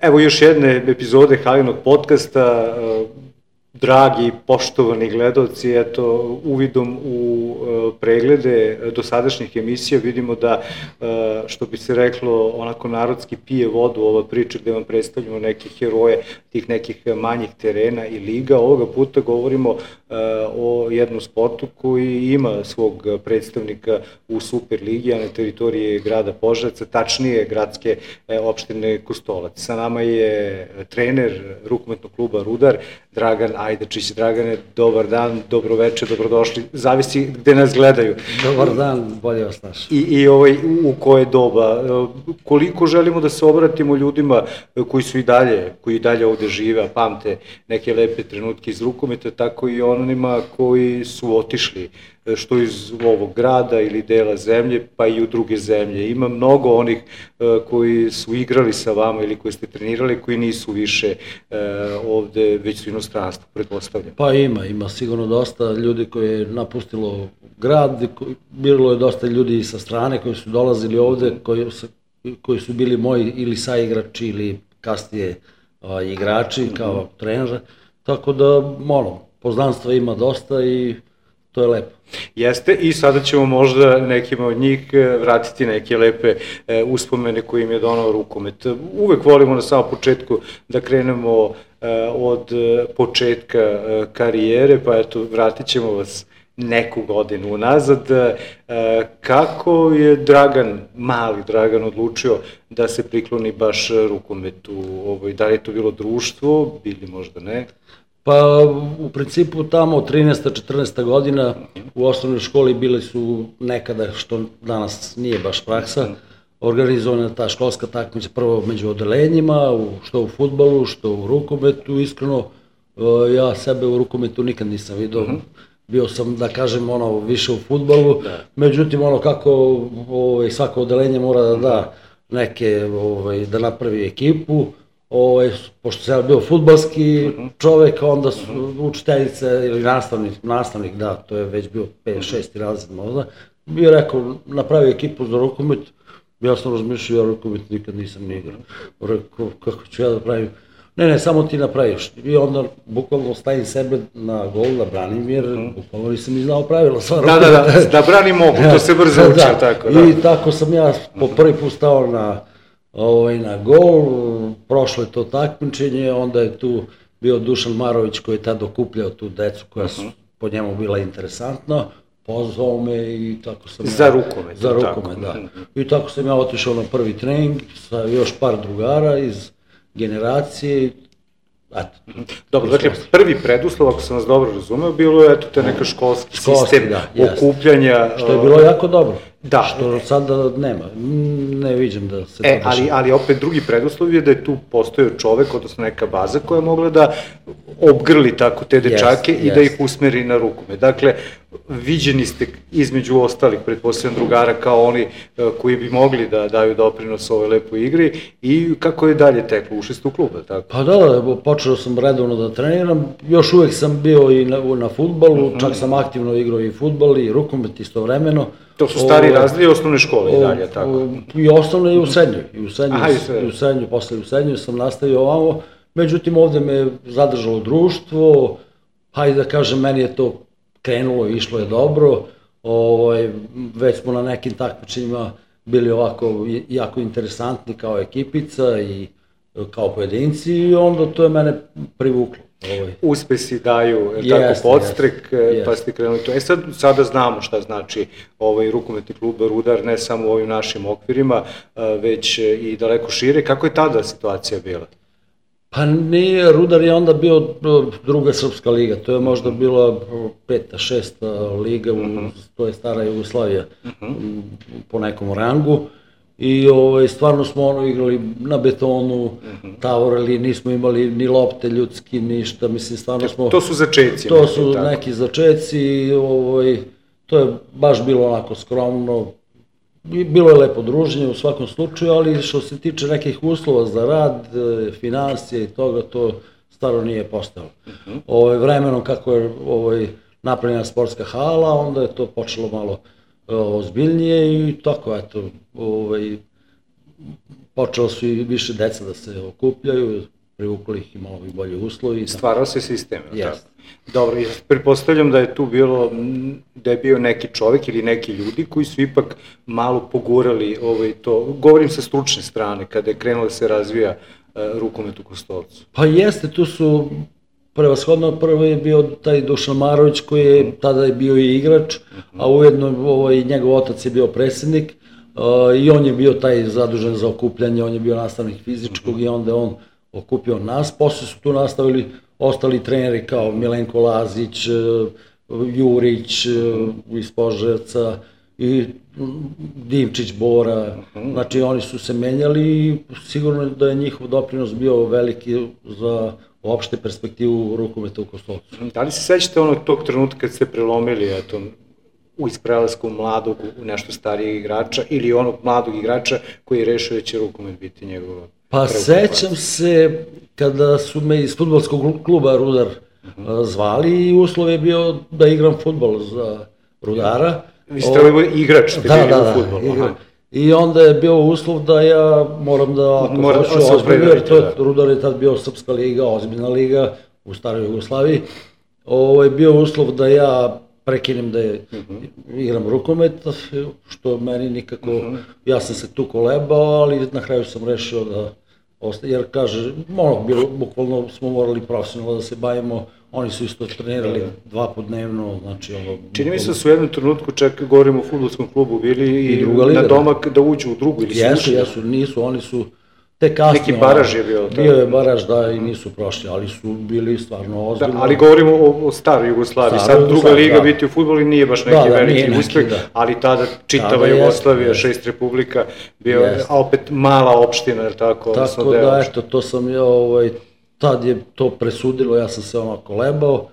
Evo još jedne epizode Halinog podcasta. Dragi, poštovani gledalci, eto, uvidom u preglede dosadašnjih emisija vidimo da, što bi se reklo, onako narodski pije vodu ova priča gde vam predstavljamo neke heroje tih nekih manjih terena i liga. Ovoga puta govorimo o jednom sportu koji ima svog predstavnika u Superligi, a na teritoriji grada Požarevca, tačnije gradske opštine Kostolac. Sa nama je trener rukometnog kluba Rudar, Dragan Ajdačić. Dragane, dobar dan, dobroveče, dobrodošli, zavisi gde nas gledaju. Dobar dan, bolje vas naš. I u koje doba, koliko želimo da se obratimo ljudima koji su i dalje ovde žive, a pamte neke lepe trenutke iz rukometa, tako i onima koji su otišli, što iz ovog grada ili dela zemlje, pa i u druge zemlje. Ima mnogo onih koji su igrali sa vama ili koji ste trenirali, koji nisu više ovde, već su inostranstvo, pretpostavljam. Pa ima sigurno dosta ljudi koji je napustilo grad, bilo je dosta ljudi sa strane koji su dolazili ovde, koji su bili moji ili saigrači ili kasnije igrači kao trener, tako da poznanstva ima dosta i to je lepo. Jeste, i sada ćemo možda nekima od njih vratiti neke lepe uspomene koje im je donao rukomet. Uvek volimo na samom početku da krenemo od početka karijere, pa eto, vratit ćemo vas neku godinu unazad. Kako je mali Dragan odlučio da se prikloni baš rukometu? Da li je to bilo društvo, ili možda ne? Pa u principu tamo 13. 14. godina u osnovnoj školi bili su nekada, što danas nije baš praksa, organizovana ta školska takmica prvo među odelenjima, što u fudbalu, što u rukometu. Iskreno, ja sebe u rukometu nikad nisam vidio. Bio sam, da kažem, više u fudbalu, međutim, kako svako odelenje mora da da neke, da napravi ekipu. Pošto sam ja bio fudbalski čovek, onda su učiteljice ili nastavnik, da, to je već bio 5-6 razred možda, bio rekao, napravio ekipu za rukomet, ja sam razmišljao, ja rukomet nikad nisam ni igrao. Rekao, kako ću ja da pravim? Ne, samo ti napraviš. I onda bukvalno stavim sebe na gol da branim, jer bukvalno nisam ni znao pravila sva rukometa. Da branim mogu, to se brzo učio, tako da. I tako sam ja po prvi put stao na gol, prošlo je to takmičenje, onda je tu bio Dušan Marović koji je tada okupljao tu decu koja su po njemu bila interesantna, pozvao me i tako sam Za rukomet, da. I tako sam ja otišao na prvi trening sa još par drugara iz generacije. Dobro, dakle, prvi preduslov, ako sam vas dobro razumeo, bilo je te neka školski sistem okupljanja. Što je bilo jako dobro. Da. Što sada nema. Ne viđem da se to dešava. Ali opet drugi preduslov je da je tu postojao čovek, odnosno neka baza koja je mogla da obgrli tako te dečake i da ih usmeri na rukomet. Dakle, viđeni ste između ostalih, pretpostavljam, drugara kao oni koji bi mogli da daju doprinos ovoj lepoj igri, i kako je dalje teklo? Ušli ste u klub, tako? Pa da, počeo sam redovno da treniram, još uvek sam bio i na fudbalu, čak sam aktivno igrao i fudbal i rukomet istovremeno. To su stari razredi osnovne škole i dalje, tako? I osnovne i u srednjoj. Posle u srednjoj sam nastavio ovamo, međutim ovde me zadržalo društvo, hajde da kažem, meni je to krenulo i išlo je dobro, već smo na nekim takmičenjima bili ovako jako interesantni kao ekipica i kao pojedinci, i onda to je mene privuklo. Uspesi daju tako podstrek, pa ste krenuli to. Sada znamo šta znači rukometni klub Rudar, ne samo u ovim našim okvirima, već i daleko šire. Kako je tada situacija bila? Pa nije, Rudar je onda bio druga srpska liga, to je možda bila 5. 6. liga, to je stara Jugoslavija po nekom rangu. I stvarno smo igrali na betonu, tavorili, nismo imali ni lopte ljudski, ništa, mislim, stvarno smo... To su začeci. To su neki začeci, to je baš bilo onako skromno, bilo je lepo druženje u svakom slučaju, ali što se tiče nekih uslova za rad, finansije i toga, to stvarno nije postalo. Vremenom kako je napravljena sportska hala, onda je to počelo malo ozbiljnije i tako, eto, počelo su i više deca da se okupljaju, privukli ih i malo i bolje uslovi. Stvarao se sistem, je li tako? Jeste. Dobro, ja pretpostavljam da je tu bilo, da je bio neki čovek ili neki ljudi koji su ipak malo pogurali to, govorim sa stručne strane, kada je krenulo da se razvija rukomet u Kostolcu. Pa jeste, tu su prevashodno, prvo je bio taj Dušan Marović koji je tada je bio i igrač, a ujedno njegov otac je bio predsednik i on je bio taj zadužen za okupljanje, on je bio nastavnik fizičkog i onda on okupio nas, posle su tu nastavili ostali treneri kao Milenko Lazić, Jurić iz Požarevca i Dimčić Bora, znači oni su se menjali i sigurno da je njihov doprinos bio veliki za opšte perspektivu rukometa u Kostolcu. Da li se sećate tog trenutka kad ste prelomili iz prelasku mladog u nešto starijeg igrača ili onog mladog igrača koji je rešio da će rukomet biti njegova? Pa sećam se kada su me iz fudbalskog kluba Rudar zvali i uslov je bio da igram fudbal za Rudara. Vi ste igrač, ste bili u fudbalu. I onda je bio uslov da ja moram da, ako hoću ozbiljno, jer Rudar je tad bio Srpska liga, ozbiljna liga u staroj Jugoslaviji, bio uslov da ja prekinem da igram rukomet, što meni nikako, ja sam se tu kolebao, ali na kraju sam rešio da ostaje, jer kaže, bukvalno smo morali profesionalno da se bavimo, oni su isto trenirali 2 puta dnevno, znači ono... Čini mi se da su u jednom trenutku, čak govorimo o fudbalskom klubu, bili i na domak da uđu u drugu ili su ušli? Jesu, nisu, oni su te kasnije... Neki baraž je bio? Bio je baraž, da, i nisu prošli, ali su bili stvarno ozbiljno. Da, ali govorimo o staroj Jugoslaviji, sad druga liga biti u fudbalu nije baš neki veliki uspeh, ali tada čitava Jugoslavija, 6 republika, bio opet mala opština, je li tako? Tako da, eto, to sam ja, tad je to presudilo, ja sam se kolebao,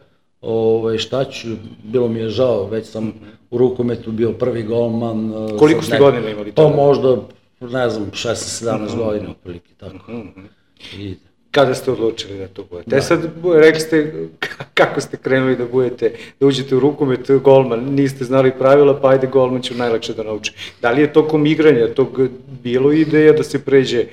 šta ću, bilo mi je žao, već sam u rukometu bio prvi golman. Koliko ste godina imali tada? Pa možda, ne znam, 16-17 godina, otprilike, tako. Kada ste odlučili da to budete? Sad, rekli ste kako ste krenuli da uđete u rukomet, golman, niste znali pravila, pa ajde golman ću najlakše da nauči. Da li je tokom igranja tog bilo ideja da se pređe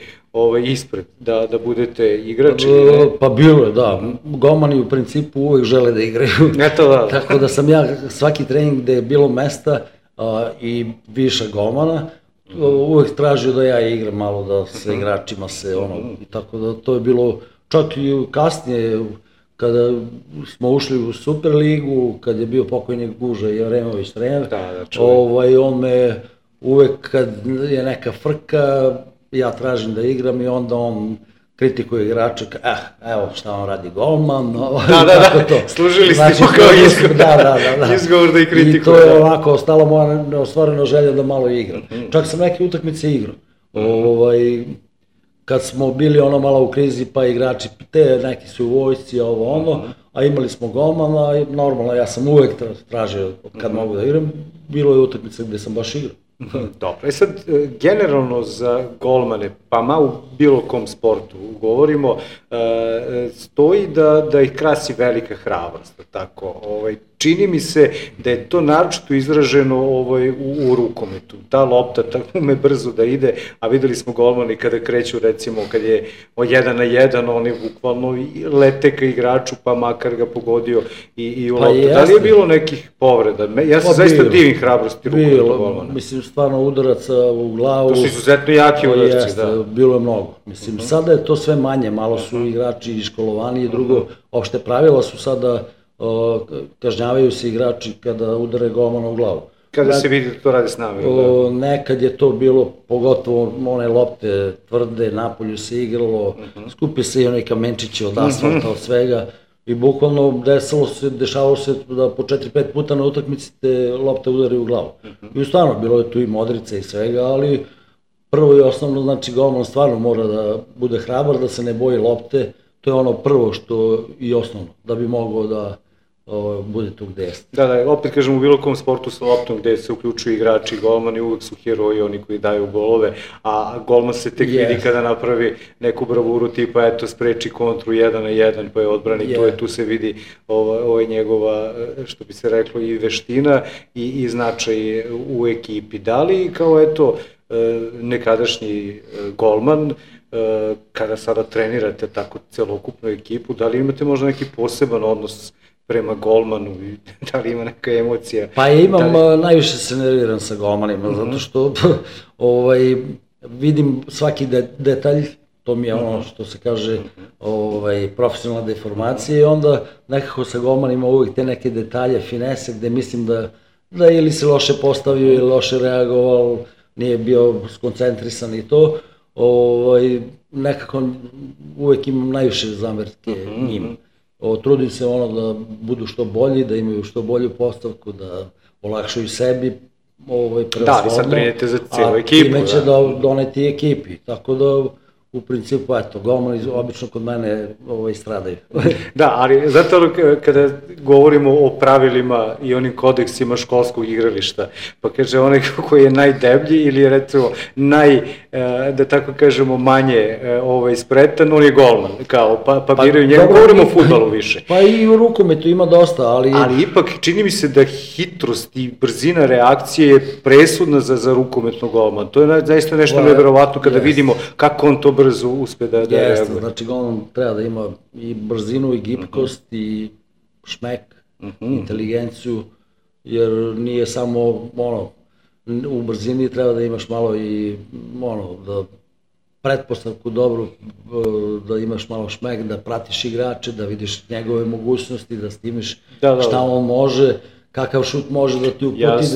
ispred, da budete igrač ili ne? Pa bilo je, da. Golmani u principu uvek žele da igraju. Eto da. Tako da sam ja svaki trening gde je bilo mesta i viša golmana, uvek tražio da ja igram malo, da sa igračima se tako da to je bilo, čak i kasnije kada smo ušli u Superligu, kad je bio pokojnik Guža Jeremović trener, on me uvek kad je neka frka, ja tražim da igram i onda on kritikuje igrača, evo šta on radi golman, da, služili ste mu kao izgovor da i kritikuje. I to je onako ostala moja neostvarena želja da malo igram. Čak sam neke utakmice igrao. Kad smo bili malo u krizi, pa igrači, neki su u vojsci, a imali smo golmana i normalno, ja sam uvek tražio kad mogu da igram, bilo je utakmice gde sam baš igrao. Dobro, sad, generalno za golmane, pa u bilo kom sportu govorimo, stoji da ih krasi velika hrabrost, tako. Čini mi se da je to naročito izraženo u rukometu. Ta lopta ume brzo da ide, a videli smo golmani kada kreću, recimo, kad je 1 na 1, oni bukvalno lete ka igraču, pa makar ga pogodio i u loptu. Da li je bilo nekih povreda? Ja se zaista divim hrabrosti rukometu golmana. Mislim, stvarno udaraca u glavu. To su izuzetno jaki udarci, da. Bilo je mnogo. Mislim, sada je to sve manje, malo su igrači iškolovani i drugo, opšte pravila su sada, kažnjavaju se igrači kada udare golmana u glavu. Kada se vidi da to radi s namerom? Nekad je to bilo, pogotovo one lopte tvrde, napolju se igralo, skupi se i onaj kamenčići od asfalta, od svega, i bukvalno dešavalo se da po 4-5 puta na utakmici te lopte udari u glavu. I stvarno, bilo je tu i modrice i svega, ali prvo i osnovno, znači golman stvarno mora da bude hrabar, da se ne boji lopte, to je ono prvo što i osnovno, da bi mogao da bude tu gde jeste. Da, opet kažem, u bilo kom sportu sa loptom gde se uključuju igrači i golmani, uvek su heroji, oni koji daju golove, a golman se tek vidi kada napravi neku bravuru tipa, eto, spreči kontru 1 na 1, pa je odbrani, tu se vidi njegova, što bi se reklo, i veština i značaj u ekipi. Da li, kao eto, nekadašnji golman, kada sada trenirate tako celokupnu ekipu, da li imate možda neki poseban odnos prema golmanu i da li ima neka emocija? Pa imam, najviše se nerviram sa golmanima, zato što vidim svaki detalj, to mi je ono što se kaže profesionalna deformacija i onda nekako sa golmanima uvijek te neke detalje, finese, gde mislim da ili se loše postavio ili loše reagovao, nije bio skoncentrisan i to, nekako uvijek imam najviše zamerke njima. Trudim se da budu što bolji, da imaju što bolju postavku, da olakšaju sebi prevashodno. Da, vi sad brinete za cijelu ekipu. A time će doneti ekipi, tako da u principu, golmani obično kod mene stradaju. Da, ali zato kada govorimo o pravilima i onim kodeksima školskog igrališta, pa kaže onaj koji je najdeblji ili je recimo da tako kažemo, manje spretan, on je golman, pa biraju njega, govorimo o fudbalu više. Pa i u rukometu ima dosta, ali... Ali ipak čini mi se da hitrost i brzina reakcije je presudna za rukometnog golmana. To je zaista nešto neverovatno kada vidimo kako on to brzo uspe da reaguje. Jeste, znači golman treba da ima i brzinu i gibkost i šmek, inteligenciju, jer nije samo u brzini treba da imaš malo i da pretpostavku dobru, da imaš malo šmek, da pratiš igrače, da vidiš njegove mogućnosti, da snimiš šta on može, kakav šut može da ti uputi,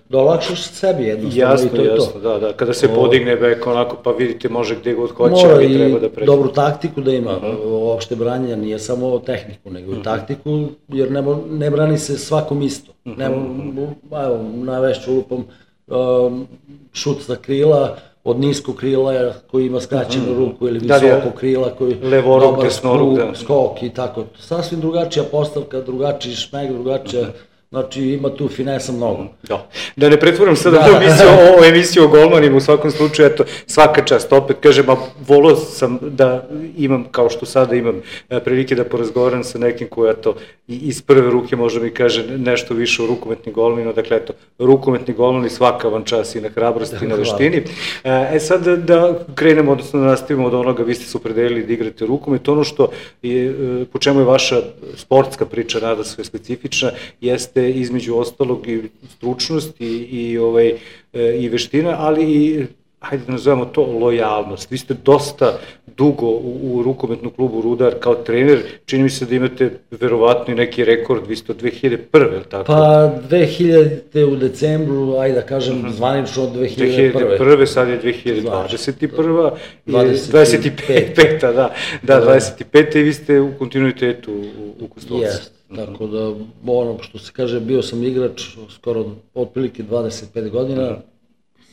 da olakšaš sebi jednostavno i to je to. Jasno, da, kada se podigne bek onako pa vidite može gde god hoće, ali treba da mora i dobru taktiku da ima, uopšte branjenja nije samo tehniku, nego i taktiku, jer ne brani se svakom isto. Navešću lupom šut sa krila, od niskog krila koji ima skraćenu ruku ili visokog krila koji dobar skok i tako. Sasvim drugačija postavka, drugačiji šmek, drugačija... Znači, ima tu finesa mnogo. Da ne pretvorim sada ovu emisiju o golmanima, u svakom slučaju, eto, svaka čast, opet kažem, a volao sam da imam, kao što sada imam prilike da porazgovaram sa nekim koji, eto, iz prve ruke možda mi kaže nešto više o rukometnim golmanima, dakle, eto, rukometni golmani, svaka vam čast i na hrabrosti i na veštini. Sad da krenemo, odnosno da nastavimo od onoga, vi ste se opredelili da igrate rukomet, ono što, po čemu je vaša sportska priča, nada sve specifična, jeste između ostalog i stručnost i veština, ali i, hajde da nazovemo to, lojalnost. Vi ste dosta dugo u rukometnom klubu Rudar kao trener, čini mi se da imate verovatno i neki rekord, vi ste od 2001. ili tako? Pa 2000. u decembru, ajde da kažem, zvanično od 2001. 2001. sad je 2021. 25. Da, 25. i vi ste u kontinuitetu u Kostolcu. Jeste, tako da, ono što se kaže, bio sam igrač skoro otprilike 25 godina,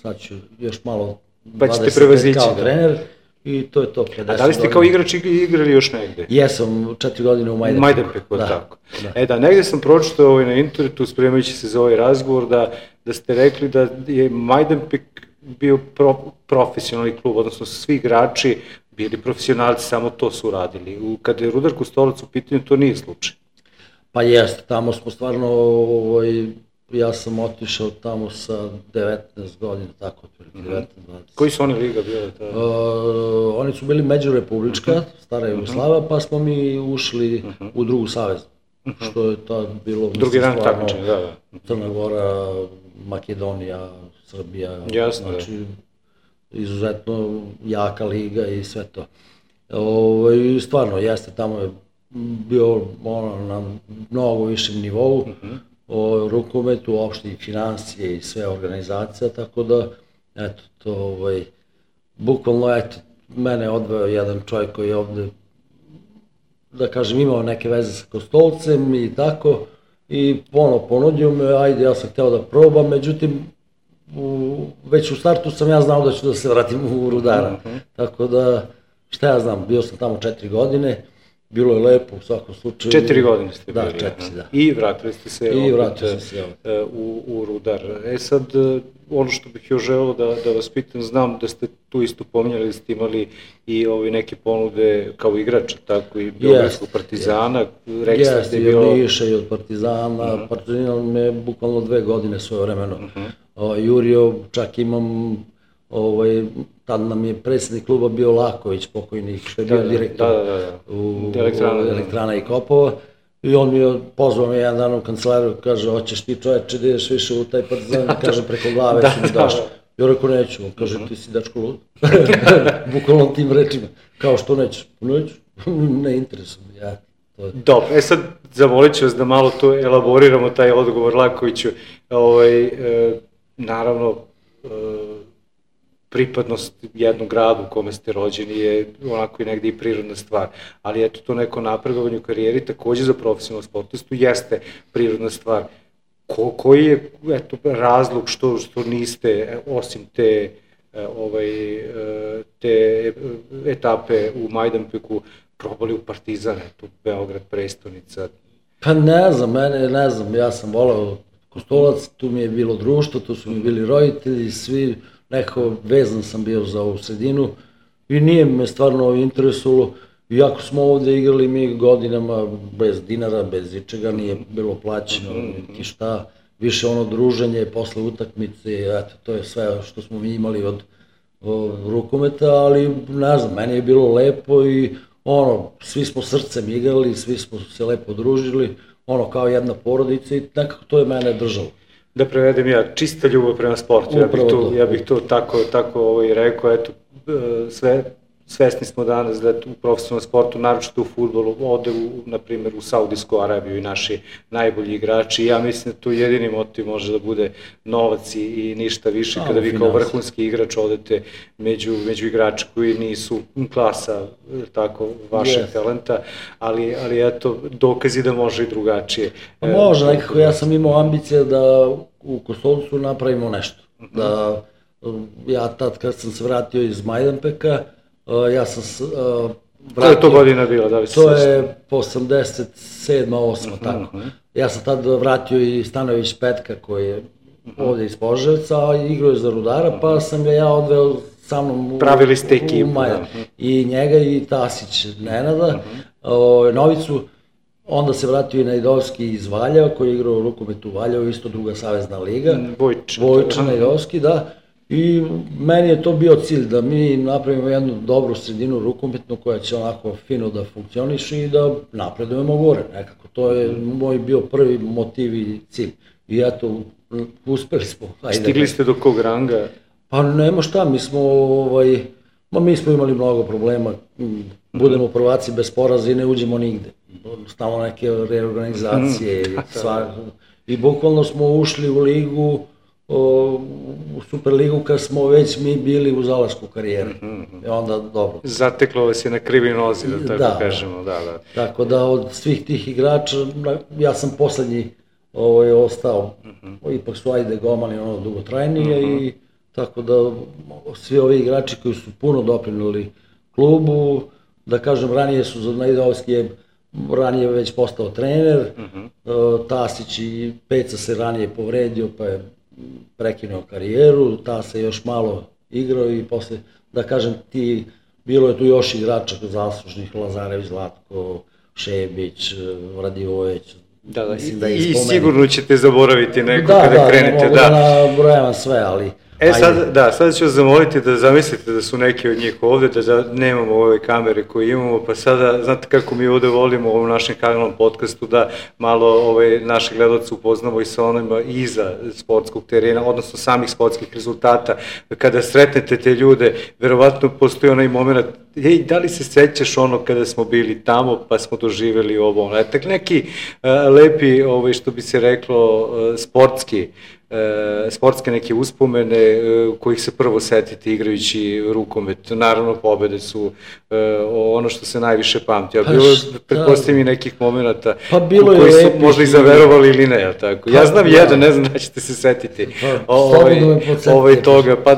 sad ću još malo 25 kao trener i to je to, 50 godina. A da li ste kao igrač igrali još negde? Jesam, 4 godine u Majdanpeku. Majdanpeku, tako. Da, negde sam pročitao na internetu, spremajući se za ovaj razgovor, da ste rekli da je Majdanpek bio profesionalni klub, odnosno svi igrači bili profesionalci, samo to su radili. Kada je Rudar Kostolac u pitanju, to nije slučaj. Pa jeste, tamo smo stvarno, ja sam otišao tamo sa 19 godina, tako otprilike, 19-20. Koji su oni liga bile? Oni su bili međurepublička, stara Jugoslava, pa smo mi ušli u drugu savezu, što je tad bilo... Drugi rang takmičenja, da. Crna Gora, Makedonija, Srbija, znači izuzetno jaka liga i sve to. Stvarno, jeste, tamo je bio na mnogo višem nivou, o rukometu, uopšte i financije i sve organizacija, tako da, eto, to, bukvalno, eto, mene odveo jedan čovjek koji je ovde, da kažem, imao neke veze sa Kostolcem i tako, i ponudio me, ajde, ja sam hteo da probam, međutim, već u startu sam ja znao da ću da se vratim u Rudara, tako da, šta ja znam, bio sam tamo 4 godine, bilo je lepo u svakom slučaju. 4 godine ste bili. Da, 4, da. I vratili ste se u Rudar. Sad, ono što bih još želeo da vas pitam, znam da ste tu isto pominjali, da ste imali i neke ponude kao igrača, tako i Beogradskog Partizana. Jeste, i od Niša i od Partizana. Partizan me bukvalno 2 godine svoje vremeno jurio, čak imam tad nam je predsjednik kluba bio Laković, pokojni, što je bio direktor u Elektrana i Kopova. I on mi je pozvao me jedan dan u kancelariju, kaže, hoćeš ti čoveče da ideš više u taj Partizan, kaže, preko glave si mi daš. Ja rekao, neću, on kaže, ti si dečko lud. Bukvalno tim rečima, kao što nećeš, neću, ne interesuje mi, ja. Dobro, sad zamolit ću vas da malo to elaboriramo, taj odgovor Lakoviću. Naravno, pripadnost jednom gradu u kome ste rođeni je onako i negde i prirodna stvar, ali eto to neko napredovanje u karijeri takođe za profesionalnog sportistu jeste prirodna stvar. Koji je razlog što niste, osim te etape u Majdanpeku, probali u Partizan, eto, Beograd, prestonica? Pa ne znam, ja sam volao Kostolac, tu mi je bilo društvo, tu su mi bili roditelji, svi, nekako vezan sam bio za ovu sredinu i nije me stvarno interesovalo, iako smo ovde igrali mi godinama bez dinara, bez ičega, nije bilo plaćeno, niti šta, više ono druženje posle utakmice, eto, to je sve što smo mi imali od rukometa, ali ne znam, meni je bilo lepo i svi smo srcem igrali, svi smo se lepo družili, kao jedna porodica i nekako to je mene držalo. Da prevedem ja, čista ljubav prema sportu, ja bih to tako rekao, eto, svesni smo danas da u profesionalnom sportu, naročito u fudbalu, ode na primjer u Saudijsku Arabiju i naši najbolji igrači i ja mislim da tu jedini motiv može da bude novac i ništa više kada vi kao vrhunski igrač odete među igrače koji nisu klasa tako vašeg talenta, ali eto dokazi da može i drugačije. Može, nekako ja sam imao ambicije da u Kostolcu napravimo nešto, da ja tad kad sam se vratio iz Majdanpeka, ja sam vratio... Koja je to godina bila, da li se to je po 87. 8. tako. Ja sam tad vratio i Stanojević Petka koji je ovde iz Požarevca, a igrao je za Rudara, pa sam ga ja odveo sa mnom u Majan. I njega i Tasić Nenada, Novicu, onda se vratio i Najdovski iz Valjeva koji je igrao rukomet u Valjevu, isto druga savezna liga. Vojča Najdovski, da. I meni je to bio cilj da mi napravimo jednu dobru sredinu rukometnu koja će onako fino da funkcioniše i da napredujemo gore. Nekako to je moj bio prvi motiv i cilj. I eto, uspeli smo. Stigli ste do kog ranga? Pa nema šta, mi smo imali mnogo problema. Budemo prvaci bez poraza i ne uđemo nigde. Stalno neke reorganizacije i bukvalno smo ušli u ligu, u Superligu kad smo već mi bili u zalasku karijere. I onda dobro. Zateklo vas je na krivi nozi, da tako kažemo. Tako da od svih tih igrača, ja sam poslednji ostao. Ipak su ajde Gomani dugotrajnije i tako da svi ovi igrači koji su puno doprinuli klubu, da kažem ranije su za Najdovski ranije već postao trener, Tasić i Peca se ranije povredio pa je prekinuo karijeru, ta se još malo igrao i posle, da kažem bilo je tu još igrača zaslužnih, Lazarević, Zlatko, Šebić, Radivojević. I sigurno ćete zaboraviti neko kada krenete. Da, mogu da nabrojavam sve, ali... Sada ću vas zamoliti da zamislite da su neki od njih ovde, da nemamo ove kamere koje imamo, pa sada, znate kako mi ovde volimo u ovom našem kanalnom podcastu da malo naše gledalce upoznamo i sa onima iza sportskog terena, odnosno samih sportskih rezultata. Kada sretnete te ljude, verovatno postoji onaj moment, da li se sećaš kada smo bili tamo pa smo doživjeli ovo, neki lepi, što bi se reklo, sportske neke uspomene kojih se prvo setite igrajući rukomet. Naravno, pobede su ono što se najviše pamti. Bilo je, pretpostavljam, i nekih momenta koji su možda i zaverovali ili ne, tako? Ja znam jedan, ne znam da ćete se setiti toga. Pa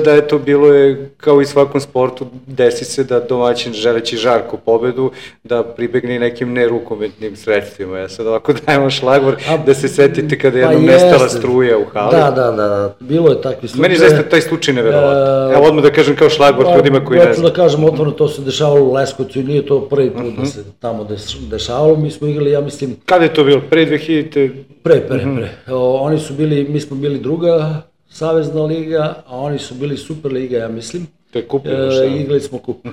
da je to bilo je, kao i svakom sportu, desi se da domaćin želeći žarku pobedu, da pribegne nekim nerukometnim sredstvima. Ja sad ovako dajem šlagvor da se setite kada je jednom nestala struja u hali. Da, bilo je takvi slučaje. Meni zaista taj slučaj neverovatno. Evo odmah da kažem kao šlagvor ljudima koji ne znam. Hoću da kažem otvorno, to se dešavalo u Leskovcu i nije to prvi put da se tamo dešavalo. Mi smo igrali, ja mislim... Kada je to bilo? Pre 2000? Pre. Oni su bili, mi smo bili druga Savezna liga, a oni su bili Super liga, ja mislim. To je kup. Igrali smo kup.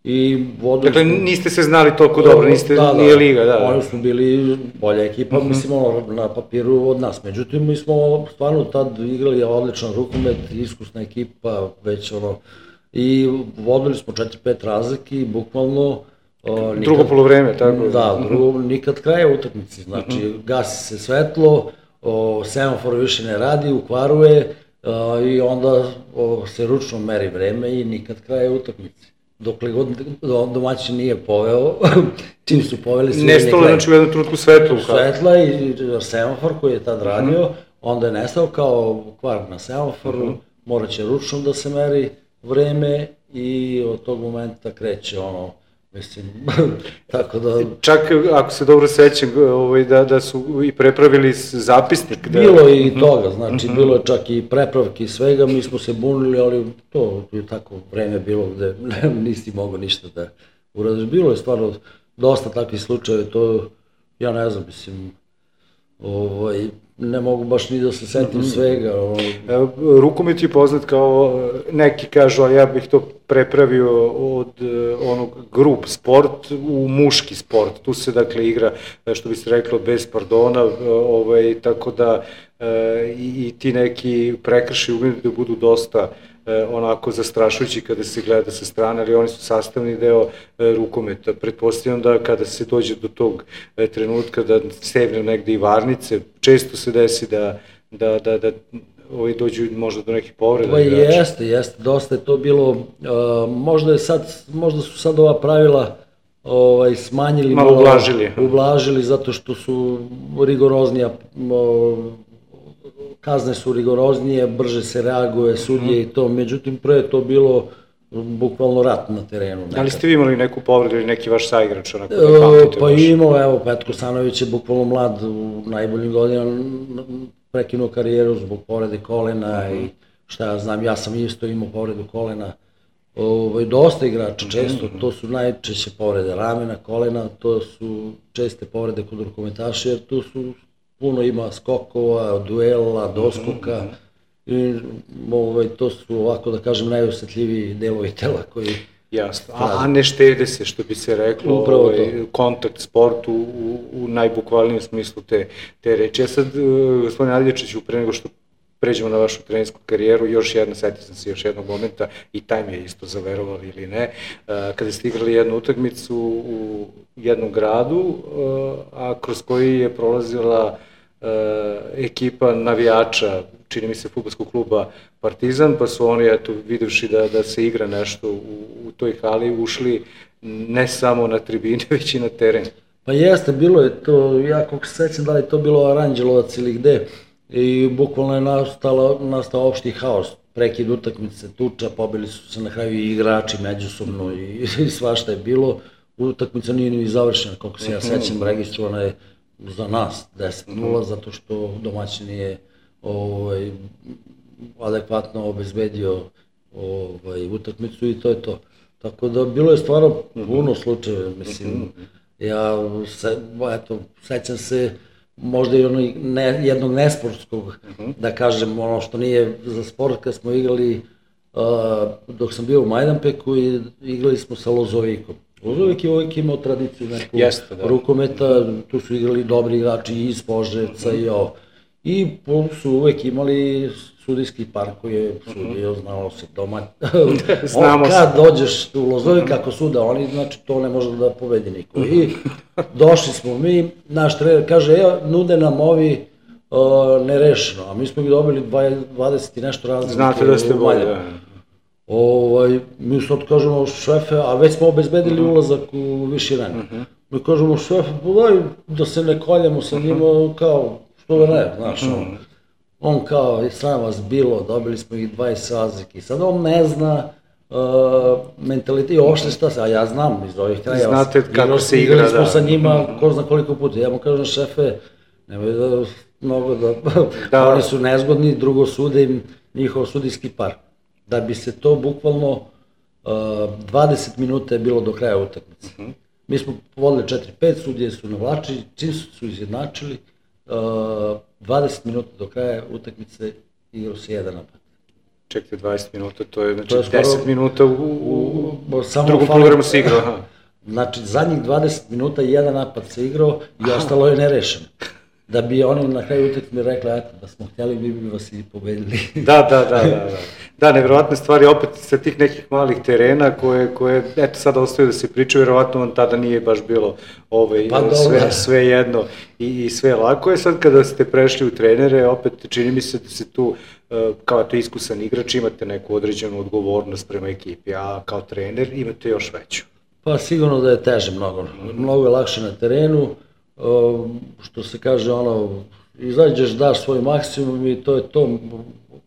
I dakle, niste se znali toliko dobro, nije liga, da. Oni smo bili bolja ekipa, mislim, na papiru od nas. Međutim, mi smo stvarno tad igrali odličan rukomet, iskusna ekipa, već i vodili smo 4-5 razlike i bukvalno... Drugo polovreme, tako? Da, nikad kraja utakmice, znači gasi se svetlo, semafor više ne radi, ukvaruje i onda se ručno meri vreme i nikad kraja utakmice. Dokle god domaćin nije poveo, čim su poveli sve... Nestalo, znači u jednom trenutku svetlo. Svetla i semafor koji je tad radio, onda je nestao kao kvar na semaforu, morat će ručno da se meri vreme i od tog momenta kreće mislim, tako da... Čak, ako se dobro sećam, da su i prepravili zapisnik. Bilo je i toga, znači, bilo je čak i prepravki i svega, mi smo se bunili, ali to je tako vreme bilo gde nisi mogao ništa da uradiš. Bilo je stvarno dosta takvih slučajeva, to, ja ne znam, mislim, ne mogu baš ni da se setim svega. Rukomet je poznat kao, neki kažu, a ja bih to prepravio od onog grup sport u muški sport. Tu se dakle igra, što bi se reklo, bez pardona, tako da i ti neki prekršaji umeju da budu dosta onako zastrašujući kada se gleda sa strane, ali oni su sastavni deo rukometa. Pretpostavljam da kada se dođe do tog trenutka da stegne negde i varnice, često se desi da dođu možda do nekih povreda. Pa jeste, dosta je to bilo, možda su sad ova pravila smanjili, malo ublažili zato što su rigoroznija, kazne su rigoroznije, brže se reaguje, sudije i to, međutim pre je to bilo bukvalno rat na terenu. Ali ste vi imali neku povredu ili neki vaš saigrač? Pa imao, evo, Petko Sanović je bukvalno mlad u najboljim godinama, prekinuo karijeru zbog povrede kolena i šta ja znam, ja sam isto imao povredu kolena. Dosta igrača, često, to su najčešće povrede ramena, kolena, to su česte povrede kod rukometaša, jer tu su puno ima skokova, duela, doskoka i to su, ovako da kažem, najosetljiviji delovi tela koji... Jasno, a ne štede se, što bi se reklo, kontakt sport u najbukvalnijem smislu te reči. Ja sad, gospodine Adljačiću, pre nego što pređemo na vašu trenersku karijeru, setio sam se još jednog momenta i taj mi je isto zaverovali ili ne, kada ste igrali jednu utakmicu u jednom gradu, a kroz koji je prolazila ekipa navijača, čini mi se, fudbalskog kluba Partizan, pa su oni, eto, videvši da se igra nešto u toj hali, ušli ne samo na tribine, već i na teren. Pa jeste, bilo je to, ja kako se sećam da li je to bilo Aranđelovac ili gde, i bukvalno je nastao opšti haos, prekid utakmice, tuča, pobili su se na kraju i igrači međusobno i svašta je bilo. Utakmica nije ni završena, koliko se ja sećam, registrovana je za nas 10-0, zato što domaćin nije adekvatno obezbedio utakmicu i to je to. Tako da bilo je stvarno puno slučajeva, mislim, ja sećam se možda i jednog nesportskog, da kažem, ono što nije za sport, kad smo igrali, dok sam bio u Majdanpeku i igrali smo sa Lozovikom. Lozovik je uvijek imao tradiciju nekog rukometa, tu su igrali dobri igrači iz Požarevca i ovo. I su uvijek imali sudijski par koji je sudio, znalo se doma. Kad dođeš u Lozovik, ako suda oni, znači to ne može da pobedi niko. I došli smo mi, naš trener kaže, nude nam ovi nerešeno, a mi smo ih dobili 20 i nešto razlike. Znate da ste bolje. Mi sad kažemo, šefe, a već smo obezbedili ulazak u viši rang. Mi kažemo, šefe, daj da se ne koljemo sa njima, kao, što da ne, znaš, on kao, sram vas bilo, dobili smo ih 20 razlike. Sad on ne zna mentalitet i uopšte šta se, a ja znam iz ovih krajeva. Znate kako se igra, da. Igrali smo sa njima, ko zna koliko puta. Ja mu kažem, šefe, nemoj da mnogo da, oni su nezgodni, drugo sude im njihov sudijski par. Da bi se to bukvalno 20 minuta je bilo do kraja utakmice. Mi smo vodili 4-5, sudije su navlačili, čim su izjednačili, 20 minuta do kraja utakmice igrao si jedan napad. Čekajte, 20 minuta, to je, znači, To je skoro 10 minuta u samo drugom fali- programu se igrao, aha. Znači, zadnjih 20 minuta jedan napad se igrao i ostalo je nerešeno. Da bi oni na kraju utakmice rekli, eto, da smo htjeli, bi vas i pobedili. Da. Da, nevjerovatne stvari, opet sa tih nekih malih terena koje eto, sada ostaju da se pričaju, vjerovatno vam tada nije baš bilo sve jedno i sve lako je. Sad kada ste prešli u trenere, opet čini mi se da se tu, kao to iskusan igrač, imate neku određenu odgovornost prema ekipi, a kao trener imate još veću. Pa sigurno da je teže mnogo je lakše na terenu, što se kaže, izađeš, daš svoj maksimum i to je to,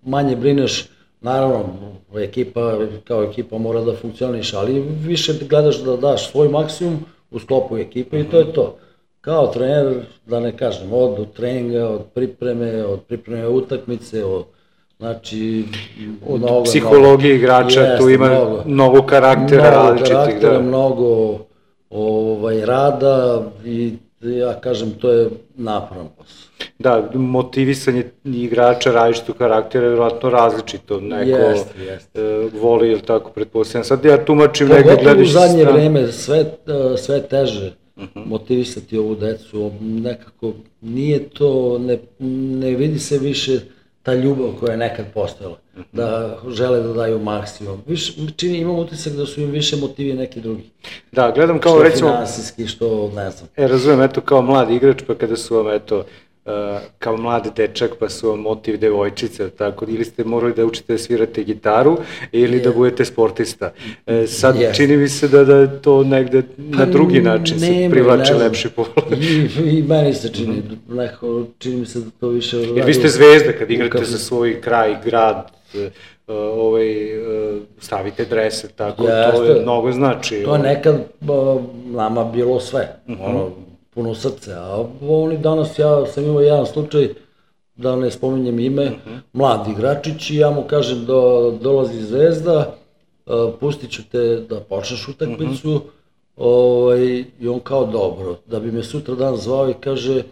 manje brineš, naravno, kao ekipa mora da funkcioniš, ali više gledaš da daš svoj maksimum u sklopu ekipe i to je to. Kao trener, da ne kažem, od treninga, od pripreme utakmice, znači, od psihologije igrača, tu ima mnogo karaktera različitih. Mnogo rada i ja kažem, to je naporan posao. Da, motivisanje igrača različitog karaktera je vjerojatno različito. Neko voli, ili tako, pretpostavljam. Sad ja tumačim negdje gledaš u zadnje vreme sve teže motivisati ovu decu. Nekako nije to, ne vidi se više ta ljubav koja je nekad postojala, da žele da daju maksimum. Imam utisak da su im više motivi neki drugi. Da, gledam kao recimo... Što finansijski, što ne znam. Razumijem, eto, kao mladi igrač, pa kada su vam, eto, kao mladi dečak, pa su vam motiv devojčice, tako, ili ste morali da učite da svirate gitaru, ili da budete sportista. Sad čini mi se da to negde na drugi način se privlače lepši pogled. I meni se čini mi se da to više... Jer vi ste zvezda kad igrate za svoj kraj, grad, stavite drese, tako, to je mnogo znači. To je nekad nama bilo sve, puno srce, a oni danas, ja sam imao jedan slučaj, da ne spominjem ime, mladi igračić i ja mu kažem da dolazi zvezda, pustit ću te da počneš utakmicu i on kao dobro, da bi me sutra dan zvao i kaže,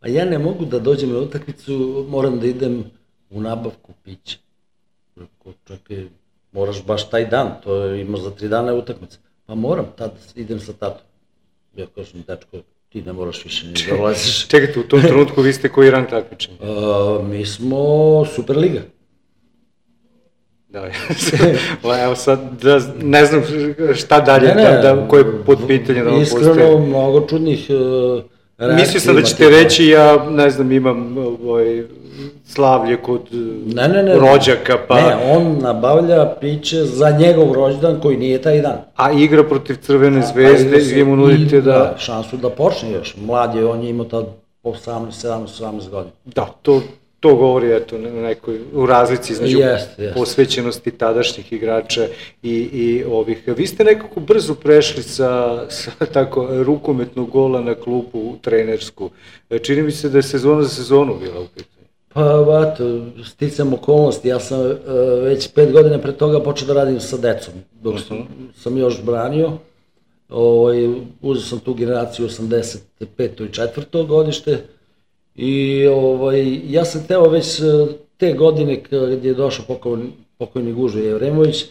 a ja ne mogu da dođem na utakmicu, moram da idem u nabavku pića. Čekaj, moraš baš taj dan, to imaš za 3 dana utakmica. Pa moram, tad idem sa tatom. Ja kažem, dečko, ti ne moraš više ni da ulaziš. Čekajte, u tom trenutku vi ste koji rang takmičenja? Mi smo Superliga. Da, evo sad, ne znam šta dalje, koje pod pitanje da vam postoje. Iskreno, mnogo čudnih reakcija. Mislio sam da ćete reći, ja ne znam, imam slavlje kod rođaka, pa... Ne, on nabavlja piće za njegov rođendan koji nije taj dan. A igra protiv Crvene zvezde i vi mu nudite da... Šansu da počne još. Mlad je, on je imao tad 18 godina. Da, to govori, eto, u razlici između posvećenosti tadašnjih igrača i ovih. Vi ste nekako brzo prešli sa tako rukometnog gola na klupu trenersku. Čini mi se da je sezona za sezonu bila u pitanju. Pa, eto, sticam okolnosti, ja sam već 5 godina pre toga počeo da radim sa decom, dok sam još branio. Uzeo sam tu generaciju 85. i 4. godište i ja sam teo već te godine kad je došao pokojni Gužo Jevremović,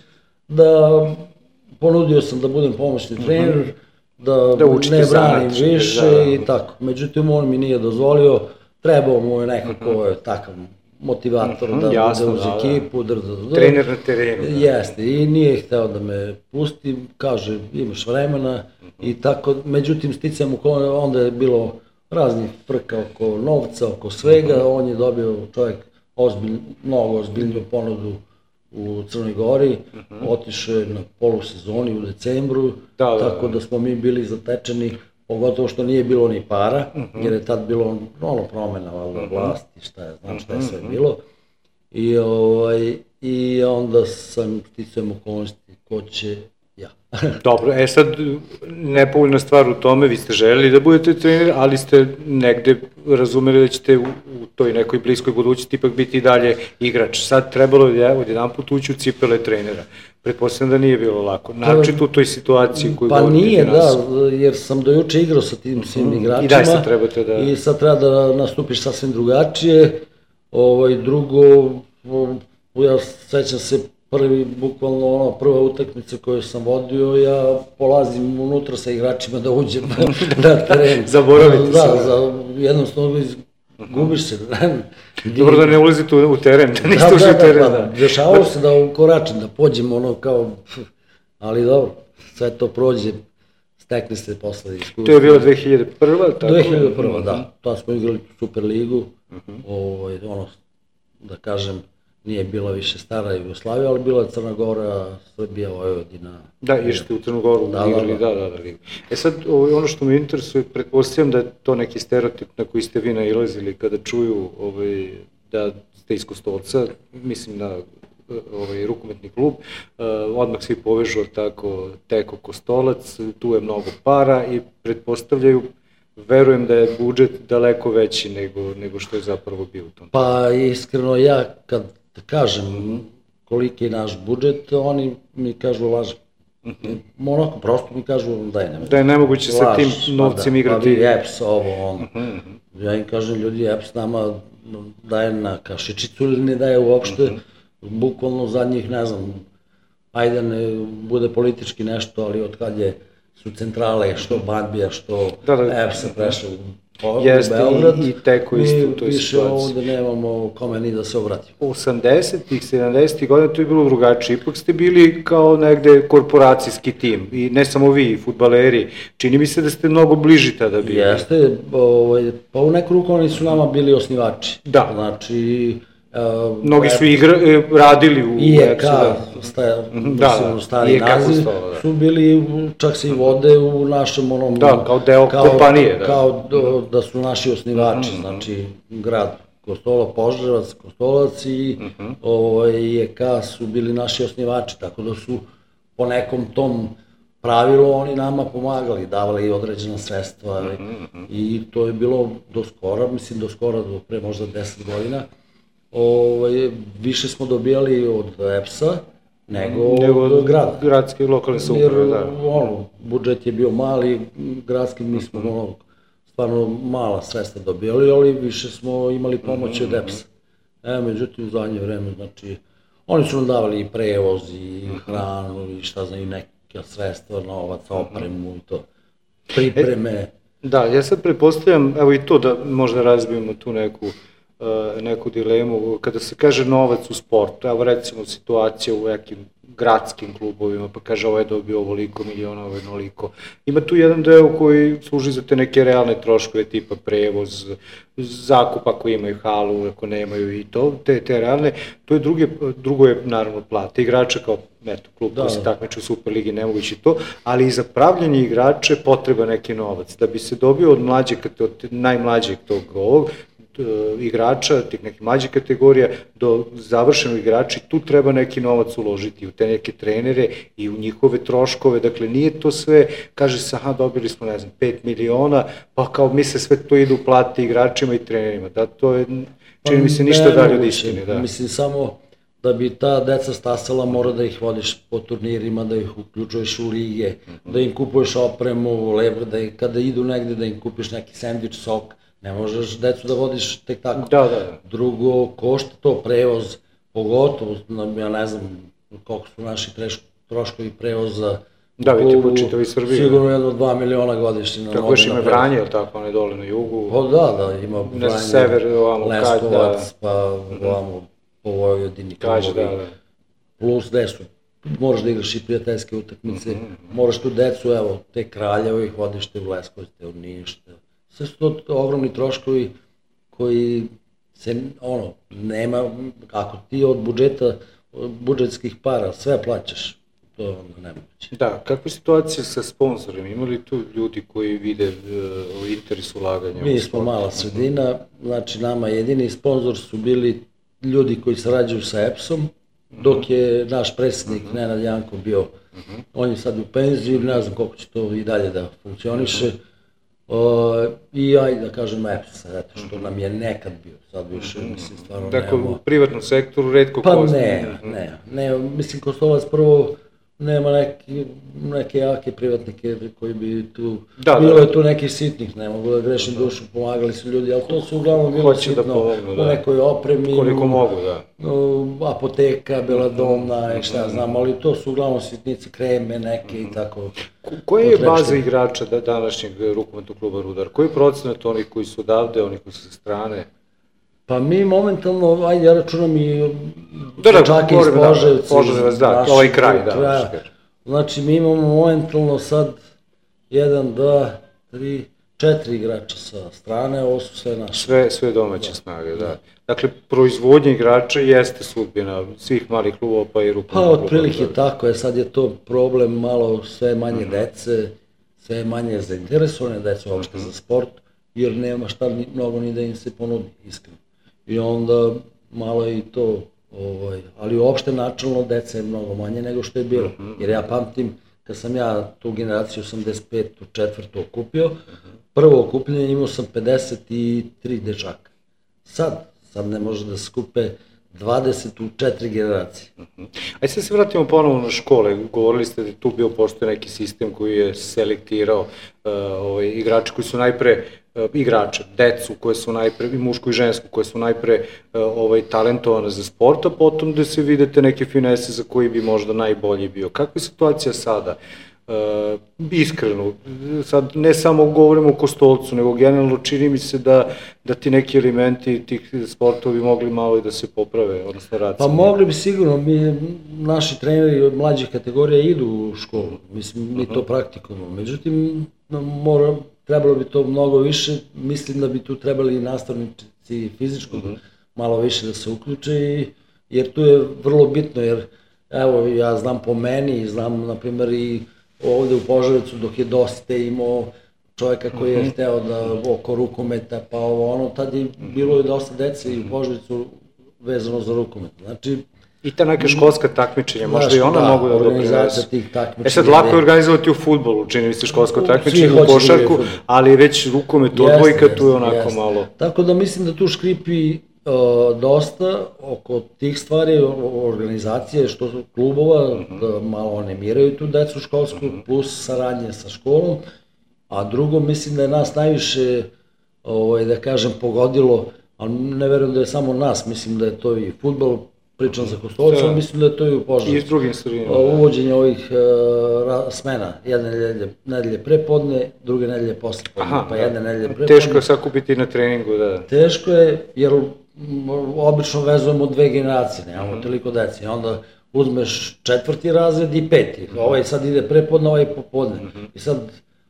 da ponudio sam da budem pomoćni trener, da ne branim više i tako. Međutim, on mi nije dozvolio. Trebao mu je nekako takav motivator da bude uz ekipu. Trener na terenu. Jeste, i nije hteo da me pusti, kaže imaš vremena i tako. Međutim, sticam onda je bilo raznih frka oko novca, oko svega. On je dobio čovjek mnogo ozbiljniju ponudu u Crnoj Gori, otišao je na polusezoni u decembru, tako da smo mi bili zatečeni. Pogotovo što nije bilo ni para, jer je tad bilo promena vlasti, šta je sve bilo. I onda sam sticajem okolnosti ko će ja. Dobro, sad nepovoljna stvar u tome, vi ste želeli da budete trener, ali ste negde razumeli da ćete u toj nekoj bliskoj budućnosti ipak biti i dalje igrač. Sad trebalo je odjedan put ući u cipele trenera. Pretpostavljam da nije bilo lako. Naročito u toj situaciji koju govorite. Pa nije, da, jer sam do juče igrao sa tim svim igračima. I da sad trebate da... I sad treba da nastupiš sasvim drugačije. Drugo, Ja sećam se bukvalno prva utakmica koju sam vodio, ja polazim unutra sa igračima da uđem na teren. Zaboravite se. Da, jednostavno gubiš se. Dobro da ne ulazite u teren, da niste ušli u teren. Da, dešavalo se da ukoračim, da pođem kao, ali dobro, sve to prođe, stekne se posle iskustva. To je bilo 2001. tako? 2001. Da, to smo igrali Superligu, da kažem, nije bila više stara Jugoslavija, ali bila je Crna Gora, Srbija, Vojvodina. Da, išli u Crnu Goru, igrali, da. Sad, ono što me interesuje, pretpostavljam da je to neki stereotip na koji ste vi nailazili kada čuju da ste iz Kostolca, mislim na rukometni klub, odmah svi povežu tako Teko Kostolac, tu je mnogo para i pretpostavljaju, verujem da je budžet daleko veći nego što je zapravo bio u tom. Pa iskreno ja kad kažem koliki je naš budžet, oni mi kažu lažem. Onako prosto mi kažu da je nemoguće sa tim novcem igrati. Pa vi EPS, ovo, ono. Ja im kažem, ljudi, EPS nama daje na kašičicu ili ne daje uopšte, bukvalno zadnjih, ne znam, ajde ne bude politički nešto, ali od kad su centrale, što Bandbija, što EPS-a prešao u Beograd, i Teko isto u toj mi više situaciji. ovde nemamo kome ni da se obratimo. 80-ih, 70-ih godina to je bilo drugačije, ipak ste bili kao negde korporacijski tim i ne samo vi, fudbaleri, čini mi se da ste mnogo bliži tada bili. Jeste, pa u neku ruku oni su nama bili osnivači. Da. Znači, mnogi su radili u IEK, stari naziv, su bili, čak se i vode u našem onom... Da, kao deo kompanije. Kao da su naši osnivači, znači grad Kostolac, Požarevac, Kostolac i IEK su bili naši osnivači, tako da su po nekom tom pravilu oni nama pomagali, davali određena sredstva i to je bilo do skora, do pre možda 10 godina. Više smo dobijali od EPS-a nego od grada. Gradske i lokalne samouprave, da. Jer budžet je bio mali, gradski mi smo stvarno mala sredstva dobijali, ali više smo imali pomoć od EPS-a. Međutim, u zadnje vreme, znači, oni su nam davali i prevoz, i hranu, i šta znam, i neka sredstva, novac, opremu i to, pripreme. Da, ja sad pretpostavljam, evo i to da možda razbijemo tu neku dilemu, kada se kaže novac u sportu, evo recimo situacija u nekim gradskim klubovima, pa kaže ovo je dobio ovoliko miliona, ovo je onoliko. Ima tu jedan deo koji služi za te neke realne troškove, tipa prevoz, zakup ako imaju halu, ako nemaju i to, te realne. To je drugo je naravno plata igrača kao klub koji se takmiče u Superligi, nemoguće to, ali i za pravljanje igrača potreba neki novac. Da bi se dobio od najmlađeg tog ovog, igrača, tih nekih mlađih kategorija, do završenog igrača, tu treba neki novac uložiti u te neke trenere i u njihove troškove, dakle nije to sve, kaže se, dobili smo, ne znam, 5 miliona, pa kao misle sve to ide u plati igračima i trenerima, da, to je, čini mi se, ništa dalje od istine, da. Mislim, samo da bi ta deca stasala, mora da ih vodiš po turnirima, da ih uključuješ u lige, da im kupuješ opremu, da kada idu negde da im kupiš neki sendvič, sok. Ne možeš decu da vodiš tek tako. Da. Drugo, košta to prevoz, pogotovo, ja ne znam koliko su naši troškovi prevoza. Da, vidite po čitavi Srbiji. Sigurno 1-2 miliona godišnje. Tako još ima Vranje, ili tako, one dole na jugu? Pa da, ima Vranje, Leskovac, pa ovamo po Vojvodini. Plus desu. Moraš da igraš i prijateljske utakmice, moraš tu decu, evo, te Kraljevo ih vodiš te u Leskovac, te u Niš, sve su to ogromni troškovi koji se, nema, ako ti od budžetskih para sve plaćaš, to je onda nemoguće. Da, kakva je situacija sa sponsorima? Ima li tu ljudi koji vide interes ulaganja? Mi smo mala sredina, znači nama jedini sponsor su bili ljudi koji sarađuju sa EPS-om, dok je naš predsjednik Nenad Janko bio, on je sad u penziji, ne znam koliko će to i dalje da funkcioniše, i ajde da kažem EPS, zato što nam je nekad bio, sad više, mislim, stvarno nemamo. Dakle, u privatnom sektoru redko Pa ne, mislim, Kostolac prvo nema neke jake privatnike koji bi tu, bilo je tu nekih sitnih, ne mogu da grešim dušu, pomagali su ljudi, ali to su uglavnom bilo sitno u nekoj opremi, koliko mogu, da. Apoteka, Beladona i šta znam, ali to su uglavnom sitnice, kreme neke i tako. Koja je baza igrača današnjeg rukometnog kluba Rudar? Koji je procenat onih koji su odavde, onih koji su sa strane? Pa mi momentalno, ajde ja računam i dečake iz Požarevca, ovaj kraj, da. Znači mi imamo momentalno sad 1, 2, 3, 4 igrača sa strane, ovo su sve naše. Sve domaće snage, da. Dakle, proizvodnja igrača jeste sudbina svih malih klubova pa i rukometnog kluba. Pa otprilike tako je, sad je to problem malo sve manje dece, sve manje zainteresovane dece uopšte za sport, jer nema šta mnogo ni da im se ponudi, iskreno. I onda malo je i to, ali uopšte načalno deca je mnogo manje nego što je bilo. Jer ja pamtim, kad sam ja tu generaciju 85. četvrtu okupio, prvo okupljenje imao sam 53 dečaka. Sad ne može da se skupe 20 u 4 generacije. Ajde sad se vratimo ponovo na škole. Govorili ste da tu bio postoje neki sistem koji je selektirao igrače koji su najpre igrače, decu koje su najpre, i mušku i žensku, koje su najpre talentovane za sport, a potom da se vidite neke finese za koji bi možda najbolji bio. Kakva je situacija sada? Iskreno, sad ne samo govorimo o Kostolcu, nego generalno čini mi se da ti neki elementi tih sportova bi mogli malo i da se poprave, odnosno rad. Pa mogli bi sigurno, naši treneri od mlađih kategorija idu u školu, mislim, mi to praktikujemo, međutim, trebalo bi to mnogo više, mislim da bi tu trebali i nastavnici fizičkog malo više da se uključe, jer tu je vrlo bitno, jer evo ja znam po meni, znam na primjer i ovde u Požarevcu dok je Doste imao čovjeka koji je hteo da oko rukometa, pa tad je bilo i dosta dece i u Požarevcu vezano za rukomet, znači. I ta neka školska takmičenja, možda i ona mogu da doprinesu. Sad lako je organizovati u fudbalu, čini mi se školsko takmičenje, u košarku, ali već rukomet odbojka tu je onako malo. Tako da mislim da tu škripi dosta oko tih stvari, organizacije, što su klubova, da malo animiraju tu decu školsku, plus saradnje sa školom, a drugo mislim da je nas najviše, da kažem, pogodilo, ali ne verujem da je samo nas, mislim da je to i fudbal, pričam za Kostolca, ali mislim da je to i u Požarevcu. I s drugim sredinama. Uvođenje ovih smena, jedne nedelje prepodne, druge nedelje posle podne, pa jedne nedelje prepodne. Teško je sakupiti na treningu, da. Teško je, jer obično vezujemo 2 generacije, nemamo toliko deci, onda uzmeš 4. razred i 5. Ovaj sad ide prepodne, ovaj popodne. I sad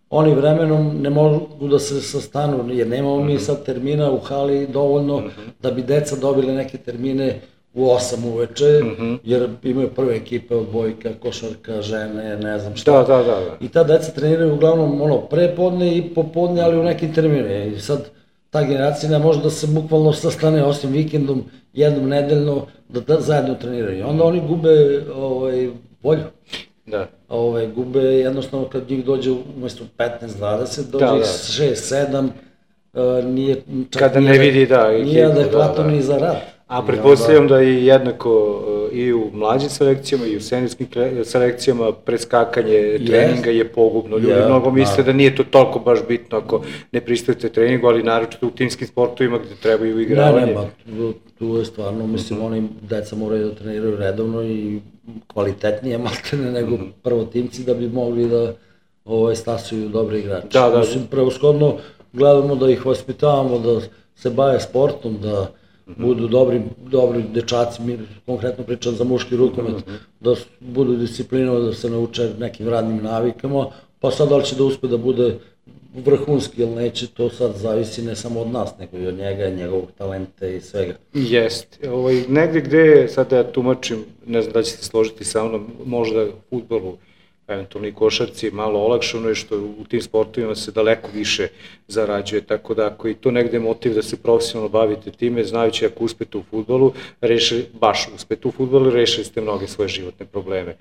oni vremenom ne mogu da se sastanu, jer nemamo mi sad termina u hali dovoljno da bi deca dobili neke termine u 8 uveče, jer imaju prve ekipe odbojka, košarka, žene, ne znam šta. Da. I ta deca treniraju uglavnom prepodne i popodne, ali u nekim terminima. I sad ta generacija ne može da se bukvalno sastane osim vikendom, jednom nedeljno, da zajedno treniraju. I onda oni gube volju. Da. Gube jednostavno kad njih dođe umesto 15-20, dođe ih 6-7, nije čak nije adekvatno ni za rad. A pretpostavljam da je jednako i u mlađim selekcijama i u seniorskim selekcijama preskakanje treninga je pogubno. Ljudi mnogo misle da nije to toliko baš bitno ako ne pristujete treningu, ali naročito u timskim sportovima gde trebaju igravanje. Ne, tu je stvarno, mislim, oni deca moraju da treniraju redovno i kvalitetnije maltene nego prvotimci da bi mogli da stasuju dobre igrače. Mislim, preushodno gledamo da ih vaspitavamo, da se bave sportom, da budu dobri dečaci, konkretno pričam za muški rukomet, da budu disciplinovani, da se nauče nekim radnim navikama, pa sad da li će da uspe da bude vrhunski ili neće, to sad zavisi ne samo od nas, nego i od njega, njegovog talenta i svega. Jeste. Negde gde, sad da ja tumačim, ne znam da ćete složiti sa mnom, možda u fudbalu, eventualno i košarci, malo olakšano je što u tim sportovima se daleko više zarađuje, tako da ako i to negde je motiv da se profesionalno bavite time, znajući ako uspete u fudbalu, rešili ste mnoge svoje životne probleme.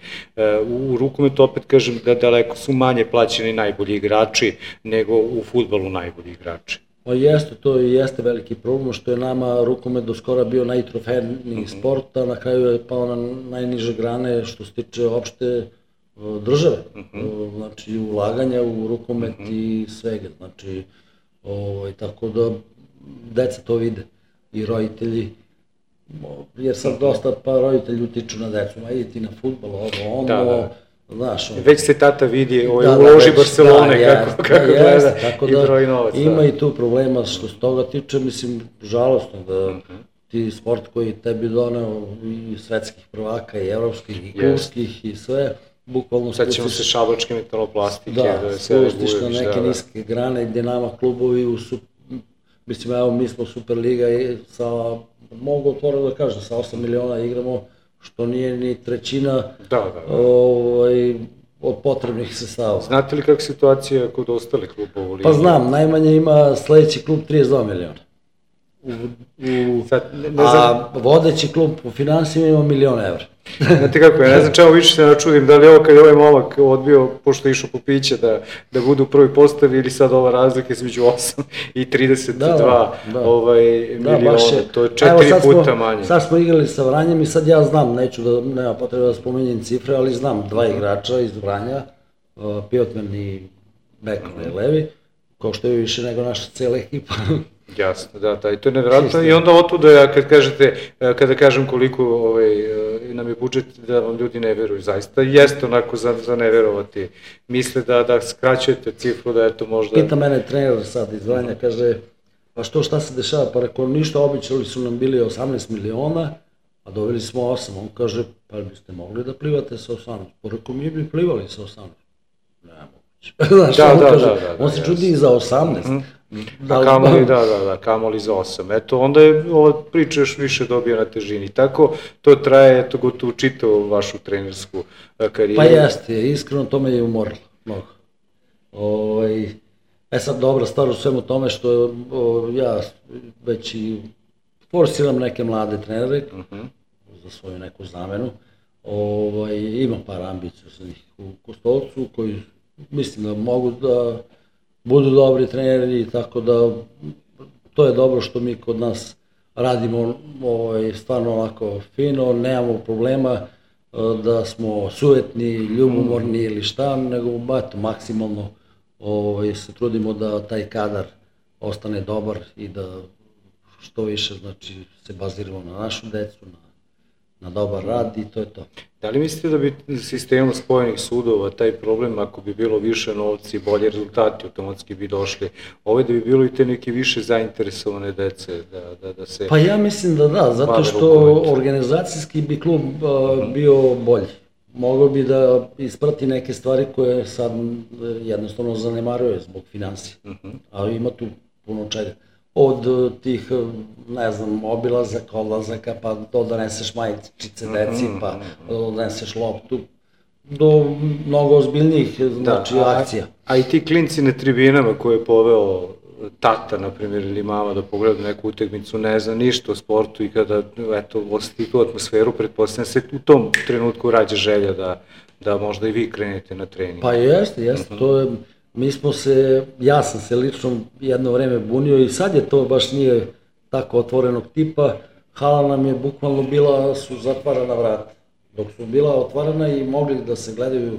U rukometu opet kažem da daleko su manje plaćeni najbolji igrači nego u fudbalu najbolji igrači. Pa jeste, to jeste veliki problem, što je nama rukomet do skora bio najtrofejniji sport, a na kraju je pao na najniže grane što se tiče opšte države, znači ulaganja u rukomet i svega, znači tako da deca to vide i roditelji, jer sad dosta pa roditelji utiču na decu, ma idi ti na fudbal, znaš. Već se tata vidi u loži Barcelone kako gleda i broji novac. Ima i tu problema što se toga tiče, mislim, žalostno da ti sport koji tebi doneo i svetskih prvaka i evropskih i klubskih i sve, bukvalno sad ćemo se šabačke metaloplastike. Da, spustiš na neke niske grane gdje nama klubovi, mislim, evo, mi smo Superliga i mogu otvoreno da kažem, sa 8 miliona igramo, što nije ni trećina od potrebnih sredstava. Znate li kakva situacija kod ostalih klubova u ligi? Pa znam, najmanje ima sledeći klub 32 miliona. A vodeći klub po finansijima ima 1.000.000 evra. Znate kako, ja ne znam čemu više se načudim, da li ovo kad je ovaj momak odbio, pošto je išao po piće, da bude u prvoj postavi ili sad ova razlika između 8 i 32 miliona, to je 4 puta manje. Sad smo igrali sa Vranjem i sad ja znam, nema potrebe da spominjem cifre, ali znam 2 igrača iz Vranja, Pijotman i Bekon levi, kao što je više nego naša cela ekipa. Jasno, da, i to je nevjerojatno i onda otuda kada kažem koliko nam je budžet, da vam ljudi ne veruju, zaista jeste onako za ne verovati, misle da skraćujete cifru, da je to možda... Pita mene trener sad iz Vranja, kaže, pa šta se dešava, pa rekao, ništa, običali su nam bili 18 miliona, a doveli smo 8, on kaže, pa biste mogli da plivate sa 18, pa rekao, mi bi plivali sa 18, ne moguće, on se čudi i za 18, kamoli za 8. Eto, onda je ova priča još više dobija na težini. Tako, to traje, eto, gotovo čitavu vašu trenersku karijeru. Pa jeste, iskreno to me je umorilo, mnogo. Sad, dobra stvar u svemu tome što ja već i forsiram neke mlade trenere za svoju neku zamenu. Imam par ambicija sa njih u Kostolcu koji mislim da mogu da budu dobri treneri, tako da to je dobro što mi kod nas radimo stvarno ovako fino, nemamo problema da smo sujetni, ljubomorni ili šta, nego maksimalno se trudimo da taj kadar ostane dobar i da što više se baziramo na našu decu, na dobar rad i to je to. Da li mislite da bi sistemom spojenih sudova taj problem, ako bi bilo više novci i bolje rezultati, automatski bi došli, da bi bilo i te neke više zainteresovane dece da se... Pa ja mislim da, zato što organizacijski bi klub bio bolji. Mogao bi da isprati neke stvari koje sad jednostavno zanemaruje zbog finansija, ali ima tu puno čega. Od tih, ne znam, obilazaka, odlazaka, pa to doneseš majičice deci, pa doneseš loptu, do mnogo ozbiljnijih akcija. A i ti klinci na tribinama koje je poveo tata, na primjer, ili mama da pogleda neku utakmicu, ne zna ništa o sportu i kada, eto, osjeti tu atmosferu, pretpostavljam se u tom trenutku rađa želja da možda i vi krenete na trening. Pa jeste, to je... Ja sam se lično jedno vreme bunio i sad je to baš nije tako otvorenog tipa. Hala nam je bukvalno su zatvarana vrata. Dok su bila otvarana i mogli da se gledaju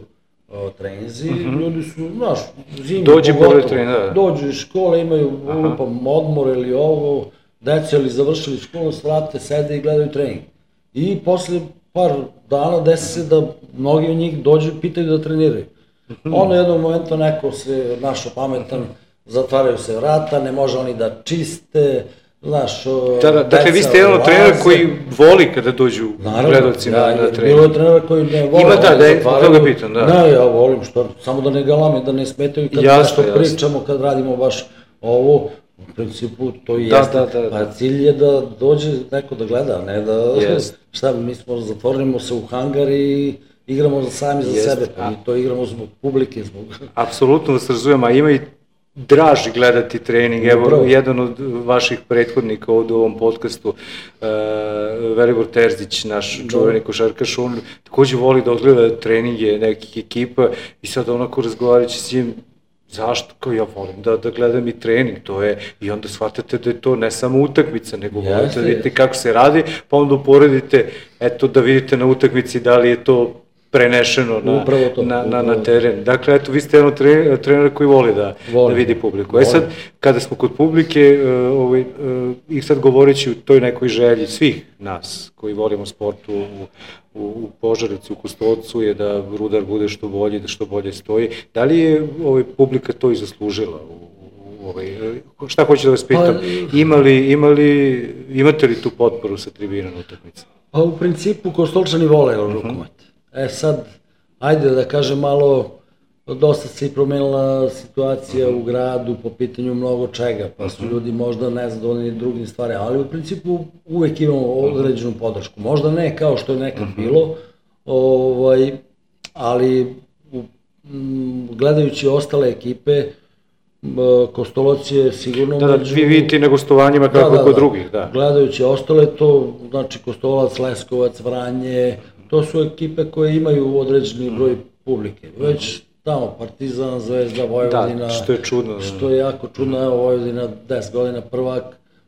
treninzi, ljudi su, znaš, zimi pogotovo, dođu iz škole, imaju odmor ili ovo, deca ili završili školu, svrate, sede i gledaju trening. I posle par dana desi se da mnogi od njih dođu i pitaju da treniraju. Ono jednog momenta neko se našao pametan, zatvaraju se vrata, ne može oni da čiste, znaš, dakle, vi ste jedan od trenera koji voli kada dođu gledalci na trening. Bilo je trenera koji ne voli. Ima da je toga pitan, da. Ne, ja volim, samo da ne galame, da ne smetaju kad nešto pričamo, kad radimo baš ovo, u principu to i jeste, pa cilj je da dođe neko da gleda, a ne da, šta, mi smo zatvorimo se u hangar i igramo sami za sebe, pa mi to igramo zbog publike, Apsolutno vas razumijem, a ima i draži gledati trening. Evo, jedan od vaših prethodnika ovde u ovom podcastu, Velibor Terzić, naš čuveni košarkaš, on takođe voli da odgleda treninge nekih ekipa i sad onako razgovarajući s njim, zašto? Kao ja volim da gledam i trening, to je, i onda shvatate da je to ne samo utakmica, nego volite da vidite kako se radi, pa onda uporedite, eto, da vidite na utakmici da li je to prenešeno na teren. Dakle, eto, vi ste jedan trener koji voli da vidi publiku. Sad, kada smo kod publike, i sad govoreći o toj nekoj želji svih nas koji volimo sport u Požarevcu, u Kostolcu, je da Rudar bude što bolji, da što bolje stoji. Da li je publika to i zaslužila? Šta hoću da vas pitam? Imate li tu potporu sa tribina na utakmici? Pa u principu Kostolčani vole rukomet. Sad, ajde da kažem malo, dosta se i promenila situacija u gradu po pitanju mnogo čega, pa su ljudi možda nezadovoljni drugim stvarima, ali u principu uvek imamo određenu podršku. Možda ne kao što je nekad bilo, ali gledajući ostale ekipe, Kostolac je sigurno... Da, vi vidite i na gostovanjima kako kod drugih, da. Gledajući ostale, to znači Kostolac, Leskovac, Vranje, to su ekipe koje imaju određeni broj publike. Već tamo Partizan, Zvezda, Vojvodina... Da, što je čudno. Što je jako čudno, evo Vojvodina 10 godina prvak,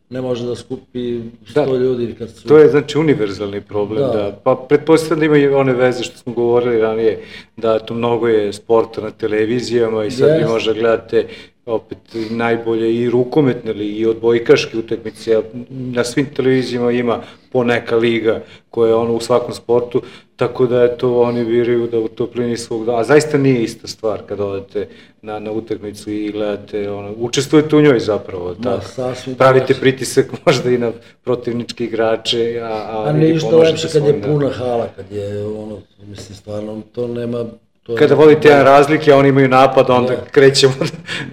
ne može da skupi 100 ljudi kad su... To je znači univerzalni problem, da. Pa pretpostavljam da ima i one veze što smo govorili ranije, da to mnogo je sporta na televizijama i sad vi možda gledate opet najbolje i rukometne i odbojkaške utakmice, na svim televizijama ima poneka liga koja je u svakom sportu, tako da eto oni biraju da u toplini svog dana, a zaista nije ista stvar kad odete na utakmicu i gledate, učestvujete u njoj zapravo, pravite pritisak možda i na protivničke igrače, a ništa lepše kad je puna hala, kad je mislim stvarno, to nema... Kada vodite jedan razlike, a oni imaju napad, onda krećemo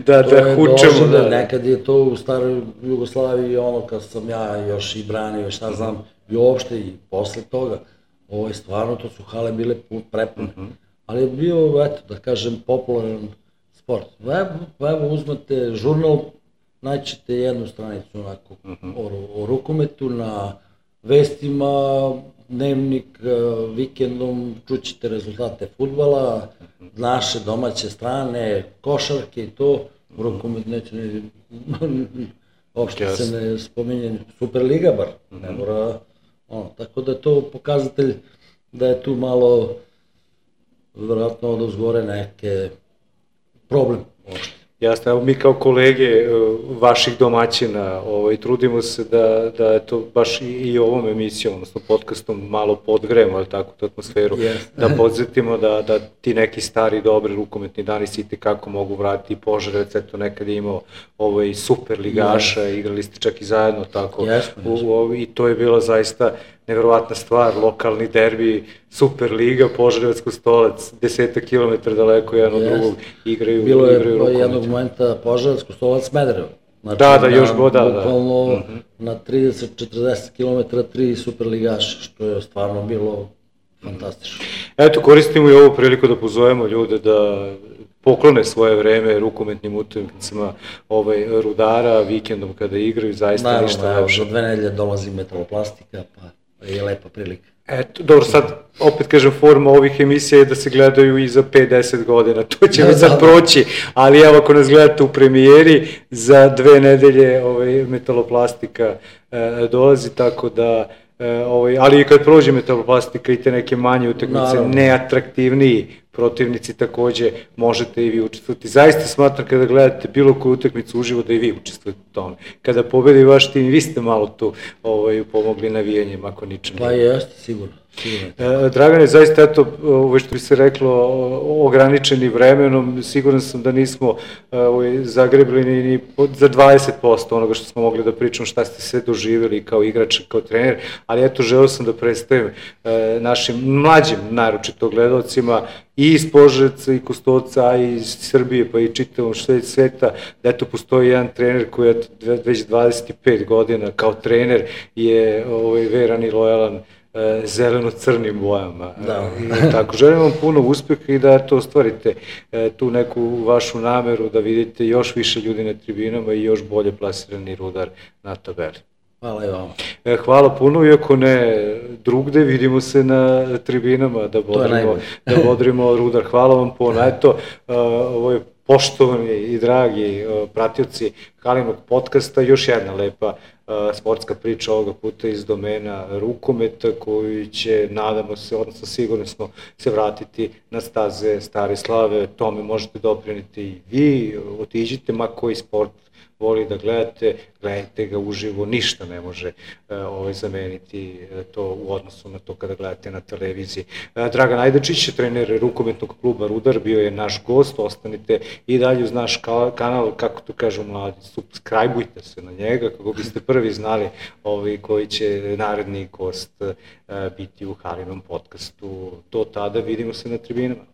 da hučemo. Nekad je to u staroj Jugoslaviji, kad sam ja još i branio, šta znam, i uopšte i posle toga. Stvarno, to su hale bile prepune. Ali je bio, eto, da kažem, popularan sport. Evo, uzmete žurnal, naćete jednu stranicu onako o rukometu, na vestima, dnevnik, vikendom, čućete rezultate fudbala, naše domaće strane, košarke i to, rukomet neće uopšte se ne spominje, Superliga bar, ne mora, tako da je to pokazatelj da je tu malo, vjerojatno odozgore neke problem uopšte. Jasno, evo mi kao kolege vaših domaćina trudimo se da je to baš i ovom emisijom, odnosno podcastom malo podgrejemo, ali tako, tu atmosferu, da podsjetimo da ti neki stari, dobri rukometni dani se itekako mogu vratiti. Požarevac, eto, nekad je imao super ligaša, igrali ste čak i zajedno, tako, i to je bila zaista nevjerovatna stvar, lokalni derbi, super liga, Požarevac, Kostolac, 10 kilometra daleko jedan od drugog igraju rukomet. Bilo je jednog momenta Požarevac, Kostolac, Smederevo. Da, još god, da. Bukvalno na 30-40 kilometra 3 super ligaša, što je stvarno bilo fantastično. Eto, koristimo i ovu priliku da pozovemo ljude da poklone svoje vreme rukometnim utakmicama Rudara, vikendom kada igraju, zaista ništa lepše. Naravno, za 2 nedelje dolazi Metaloplastika, pa je lepa prilika. Eto, dobro, sad, opet kažem, forma ovih emisija je da se gledaju i za 5-10 godina, to će mi sad proći, ali evo, ako nas gledate u premijeri, za 2 nedelje Metaloplastika dolazi, tako da, ali i kad prođe Metaloplastika i te neke manje utakmice, neatraktivniji protivnici, takođe možete i vi učestvovati. Zaista smatram kada gledate bilo koju utakmicu uživo da i vi učestvujete u tome. Kada pobedi vaš tim, vi ste malo tu pomogli navijanjem, ako ničem. Pa jeste, sigurno. Dragane, zaista, eto, što bi se reklo, ograničeni vremenom, siguran sam da nismo zagrebili ni za 20% onoga što smo mogli da pričamo, šta ste sve doživjeli kao igrač, kao trener, ali eto, želeo sam da predstavim našim mlađim, naročito gledalcima, i iz Požarevca, i Kostolca, a i iz Srbije, pa i čitavom sveta, da eto, postoji jedan trener koji je već 25 godina kao trener je veran i lojalan zeleno-crnim bojama. Tako, želim vam puno uspeha i da to ostvarite tu neku vašu nameru da vidite još više ljudi na tribinama i još bolje plasirani Rudar na tabeli. Hvala i vama. Hvala puno, iako ne drugde, vidimo se na tribinama da bodrimo Rudar. Hvala vam puno. Eto, ovo je poštovani i dragi pratioci Halinog podcasta, još jedna lepa sportska priča ovoga puta iz domena rukometa koju će, nadamo se, odnosno sigurno smo, se vratiti na staze stare slave. Tome možete dopriniti i vi, otiđite, ma koji sport voli da gledate, gledajte ga uživo, ništa ne može zameniti to u odnosu na to kada gledate na televiziji. Dragan Ajdačić, trener rukometnog kluba Rudar, bio je naš gost, ostanite i dalje uz naš kanal, kako to kažu mladi, subscribe-ujte se na njega kako biste prvi znali koji će naredni gost biti u Halinom podcastu. Do tada vidimo se na tribinama.